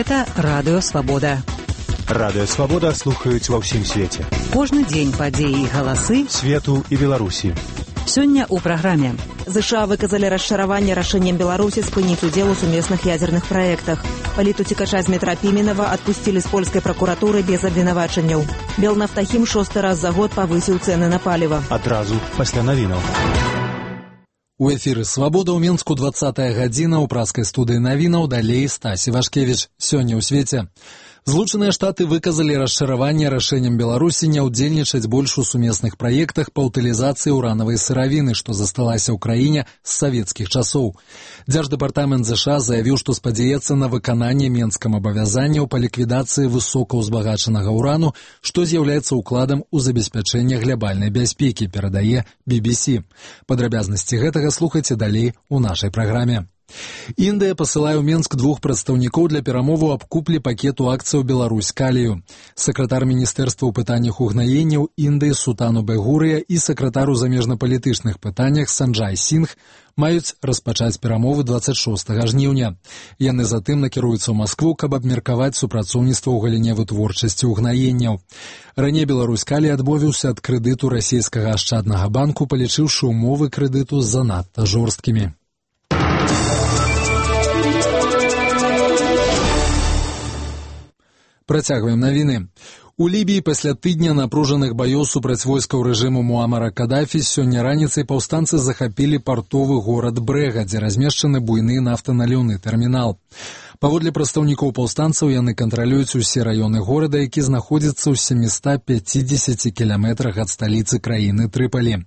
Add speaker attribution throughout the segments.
Speaker 1: Гэта Радыё Свабода.
Speaker 2: Радыё Свабода слухаюць ва ўсім свеце.
Speaker 1: Кожны дзень падзеі і галасы
Speaker 2: свету і Беларусі.
Speaker 1: Сёння ў праграме. ЗША выказалі расчараванне рашэннем Беларусі спыніць удзел у сумесных ядзерных праектах. Палітуцікача з метра Піменава адпусцілі з польскай пракуратуры без абвінавачанняў. Белнафтахім 6-й раз за год павысіў цэны на паліва.
Speaker 2: Адразу пасля навінаў.
Speaker 3: У эфіры «Свабода» ў Мінску 20-я гадзіна, у праскай студыі навінаў, далей Стасі Вашкевіч. Сёння ў свеце. Злучаныя Штаты выказалі расчараванне рашэннем Беларусі не ўдзельнічаць больш у сумесных праектах па ўтылізацыі ўранавай сыравіны, што засталася ў краіне з савецкіх часоў. Дзярждэпартамент ЗША заявіў, што спадзяецца на выкананне менскім абавязанняў па ліквідацыі высокаўзбагачанага ўрану, што з'яўляецца ўкладам у забеспячэнне глябальнай бяспекі, перадае BBC. Падрабязнасці гэтага слухайце далей у нашай праграме. Індыя пасылае ў Менск 2 прадстаўнікоў для перамоваў аб куплі пакету акцыяў Беларусь калію. Сакратар міністэрства ў пытаннях угнаенняў Індыі Сутану Бегурыя і сакратар у замежнапалітычных пытаннях Санджай Сінг маюць распачаць перамовы 26 жніўня. Яны затым накіруюцца ў Маскву, каб абмеркаваць супрацоўніцтва ў галіне вытворчасці угнаенняў. Раней Беларусь калій адмовіўся ад крэдыту расійскага ашчаднага банку, палічыўшы ўмовы крэдыту занадта жорсткімі. Працягваем навіны. У Лібіі пасля тыдня напружаных баёў супраць войскаў рэжыму Муамара Кадафі сёння раніцай паўстанцы захапілі партовы горад Брэга, дзе размешчаны буйны нафтаналіўны тэрмінал. Паводле прадстаўнікоў паўстанцаў яны кантралююць усе раёны горада, які знаходзіцца ў 750 кіламетрах ад сталіцы краіны Трыпалі.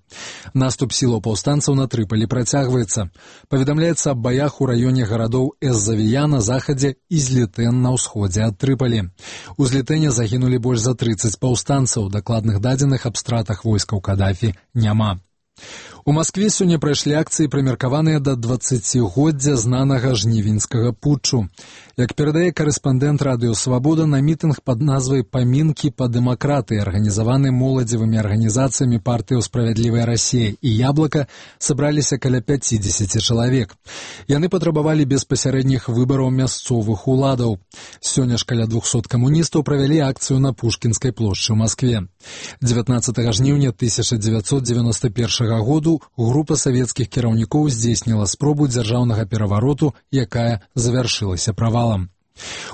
Speaker 3: Наступ сілаў паўстанцаў на Трыпалі працягваецца. Паведамляецца аб баях у раёне гарадоў Эз-Завія на захадзе і Злітэн на ўсходзе ад Трыпалі. У Злітэне загінулі больш за 30 паўстанцаў, дакладных дадзеных аб стратах войскаў Кадафі няма. У Маскве сёння прайшлі акцыі, прымеркаваныя да 20-годдзя знанага жнівеньскага путчу. Як перадае карэспандэнт Радыё Свабода, на мітынг пад назвай «Памінкі па дэмакратыі», арганізаваны моладзевымі арганізацыямі партыяў «Справядлівая Расія» і «Яблака», сабраліся каля 50 чалавек. Яны патрабавалі беспасярэдніх выбараў мясцовых уладаў. Сёння ж каля 200 камуністаў правялі акцыю на Пушкінскай плошчы ў Маскве. 19 жніўня 1991 году група савецкіх кіраўнікоў здзейсніла спробу дзяржаўнага перавароту, якая завяршылася правалам.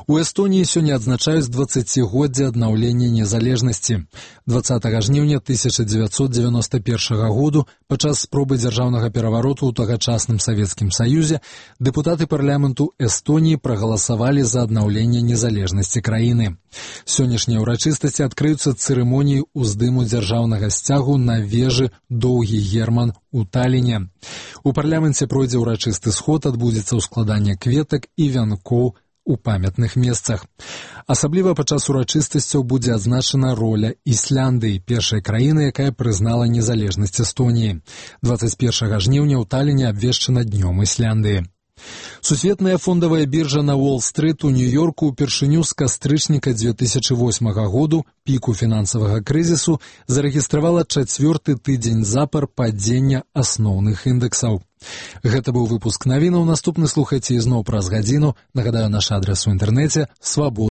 Speaker 3: У Эстоніі сёння адзначаюць 20-годдзе аднаўлення незалежнасці. 20 жніўня 1991 году падчас спробы дзяржаўнага перавароту ў тагачасным Савецкім Саюзе дэпутаты парламенту Эстоніі прагаласавалі за аднаўленне незалежнасці краіны. Сённяшнія ўрачыстасці адкрыюцца цырымоніяй уздыму дзяржаўнага сцягу на вежы Доўгі Герман у Таліне. У парламенце пройдзе ўрачысты сход, адбудзецца ўскладанне кветак і вянкоў у памятных месцах. Асабліва падчас урачыстасцяў будзе адзначана роля Ісляндыі, першай краіны, якая прызнала незалежнасць Эстоніі. 21 жніўня ў Таліне абвешчана днём Ісляндыі. Сусветная фондавая біржа на Уолл-стрыт у Нью-Йорку ўпершыню з кастрычніка 2008 году, піку фінансавага крызісу, зарэгістравала 4-й тыдзень запар падзення асноўных індэксаў. Гэта быў выпуск навінаў. Наступны слухайце ізноў праз гадзіну. Нагадаю, наш адрас у інтэрнэце свабода.